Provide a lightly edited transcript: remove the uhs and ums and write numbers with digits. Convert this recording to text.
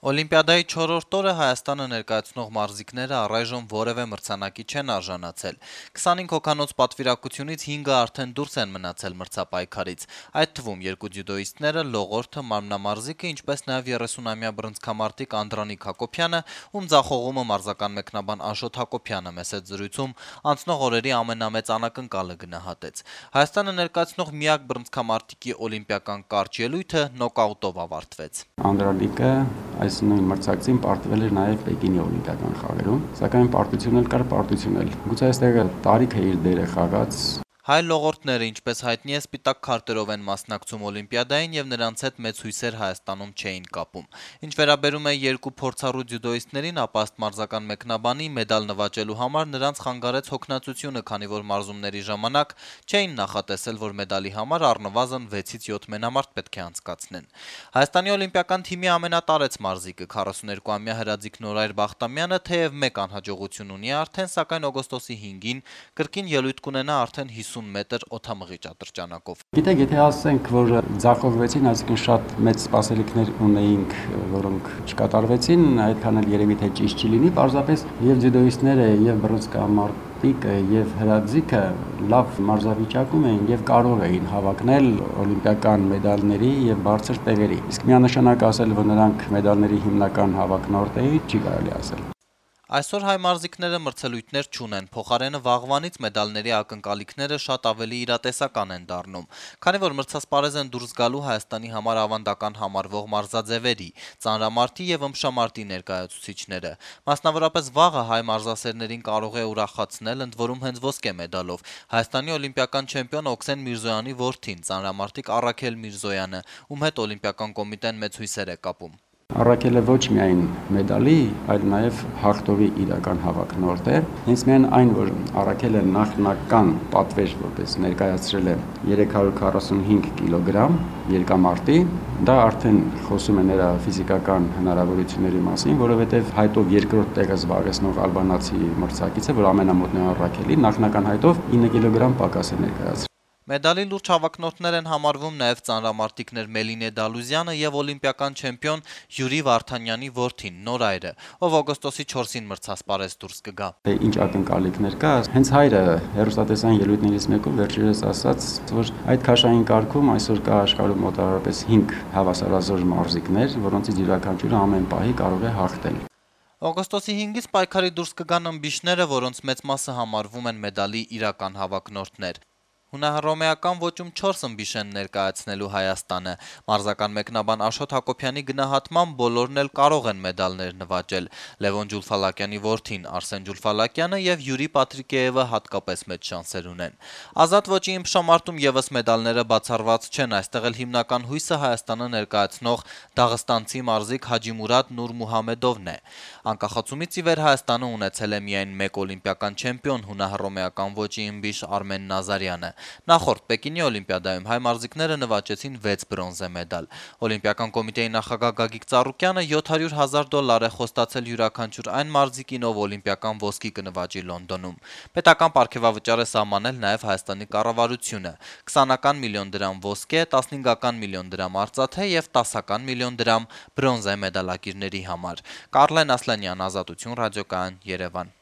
Օլիմպիադայի 4-րդ օրը Հայաստանը ներկայացնող մարզիկները առայժմ որևէ մրցանակի չեն արժանացել։ 25 հոգանոց պատվիրակությունից 5-ը արդեն դուրս են մնացել մրցապայքարից, այդ թվում 2 ձյուդոիստները, լողորդը, մարմնամարզիկը, ինչպես նաև 30-ամյա բռնցքամարտիկ Անդրանիկ Հակոբյանը, ում ձախողումը մարզական մեկնաբան Աշոտ Հակոբյանը մեծ զրույցում անցնող օրերի ամենամեծ անակնկալը գնահատեց։ Հայաստանը ներկայացնող միակ բռնցքամարտիկի օլիմպիական կարճ ելույթը նոկաուտով ավարտվեց։ Անդրանիկը այս նույն մրցակցին պարտվել էր նաև Պեկինի օլիմպիական խաղերում, սակայն պարտություն էլ կար, պարտություն էլ։ Գուցե այստեղ տարիքը իր դերը խաղաց։ Հայ լողորդները, ինչպես հայտնի է, սպիտակ քարտերով են մասնակցում օլիմպիադային եւ նրանց հետ մեծ հույսեր Հայաստանում չէին կապում։ Ինչ վերաբերում է երկու փորձառու ձյուդոիստներին, ապա ըստ մարզական մեկնաբանի մեդալ նվաճելու համար նրանց խանգարեց հոգնածությունը, քանի որ մարզումների ժամանակ չէին նախատեսել, որ մեդալի համար առնվազն 6-ից 7 մենամարտ պետք է անցկացնեն։ Հայաստանի օլիմպիական թիմի ամենատարեց մարզիկը 42-ամյա Հրաձիկ Նորայր Բախտամյանը թեև մեկ անհաջողություն ունի արդեն, սակայն օգոստոսի 5-ին կրկին ելույթ կունենա արդեն 50 մետր օդամղիչ ատրճանակով։ Գիտեք, եթե ասենք, որ ձախողվեցին, այսինքն շատ մեծ սպասելիքներ ունեինք, որոնք չկատարվեցին, այդքան էլ երևի թե ճիշտ չի լինի, պարզապես եւ ձյուդոիստները, եւ բռնցքամարտիկը, եւ Հրաձիկը լավ մարզավիճակում էին եւ կարող էին հավակնել օլիմպիական մեդալների եւ բարձր տեղերի։ Իսկ միանշանակ ասել, որ նրանք մեդալների հիմնական հավակնորդ էին, չի կարելի ասել։ Այսօր հայ մարզիկները մրցելույթներ չունեն, փոխարենը վաղվանից մեդալների ակնկալիքները շատ ավելի իրատեսական են դառնում, քանի որ մրցասպարեզ են դուրս գալու Հայաստանի համար ավանդական համարվող մարզաձևերի, ծանրամարտի եւ ըմբշամարտի ներկայացուցիչները։ Մասնավորապես վաղը հայ մարզասերներին կարող է ուրախացնել, ընդ որում հենց ոսկե մեդալով Հայաստանի օլիմպիական չեմպիոն Օքսեն Միրզոյանի որդին, ծանրամարտիկ Առաքել Միրզոյանը, ում հետ օլիմպիական կոմիտեն մեծ հույսեր է կապում։ Առաքելը ոչ միայն մեդալի, այլ նաև հաղթողի իրական հավակնորդ է։ Հենց միայն այն, որ Առաքելը նախնական պատվեր որպես ներկայացրել է 345 կիլոգրամ երկամարտի, դա արդեն խոսում է նրա ֆիզիկական հնարավորությունների մասին, որովհետև հայտով երկրորդ տեղը զբաղեցնող ալբանացի մրցակիցը, որ ամենամոտն է Առաքելի, նախնական հայտով 9 կիլոգրամ պակաս է ներկայացրել։ Մեդալի լուրջ հավակնորդներ են համարվում նաև ծանրամարտիկներ Մելինե Դալուզյանը եւ օլիմպիական չեմպիոն Յուրի Վարդանյանի որդին Նորայրը, ով օգոստոսի 4-ին մրցասպարեզ դուրս կգա։ Ինչ ակնկալիքներ կա, հենց հայրը հերոստատեսային ելույթներից մեկում վերջերս ասաց, որ այդ քաշային կարգում այսօր կա աշխարհում մոտավորապես 5 հավասարազոր մարզիկներ, որոնցից յուրաքանչյուրը ամեն պահի կարող է հաղթել։ Օգոստոսի 5-ից պայքարի դուրս կգան ըմբիշները, որոնց մեծ մասը համարվում են մեդալի իրական հավակնորդներ։ Հունահռոմեական ոճում 4 ըմբիշ են ներկայացնելու Հայաստանը։ Մարզական մեկնաբան Աշոտ Հակոբյանի գնահատմամբ բոլորն էլ կարող են մեդալներ նվաճել։ Լևոն Ջուլֆալակյանի որդին Արսեն Ջուլֆալակյանը եւ Յուրի Պատրիկեևը հատկապես մեծ շանսեր ունեն։ Ազատ ոճի ըմբշամարտում եւս մեդալները բացառված չեն, այստեղ էլ հիմնական հույսը Հայաստանը ներկայացնող դաղստանցի մարզիկ Հաջիմուրադ Նուրմուհամեդովն է։ Անկախացումից ի վեր Հայաստանը ունեցել է միայն մեկ օլիմպիական չեմպիոն հունահռոմեական ոճի ըմբիշ Արմեն Նազարյանը։ Նախորդ Պեկինի օլիմպիադայում հայ մարզիկները նվաճեցին 6 բրոնզե մեդալ։ Օլիմպիական կոմիտեի նախագահ Գագիկ Ծառուկյանը $700,000 է խոստացել յուրաքանչյուր այն մարզիկին, ով օլիմպիական ոսկի կնվաճի Լոնդոնում։ Պետական պարգևավճար է սահմանել նաև Հայաստանի կառավարությունը՝ 20 միլիոն դրամ ոսկե, 15 միլիոն դրամ արծաթե եւ 10 միլիոն դրամ բրոնզե մեդալակիրների համար։ Կարլեն Ասլանյան, Ազատություն, Ռադիոկայան, Երևան։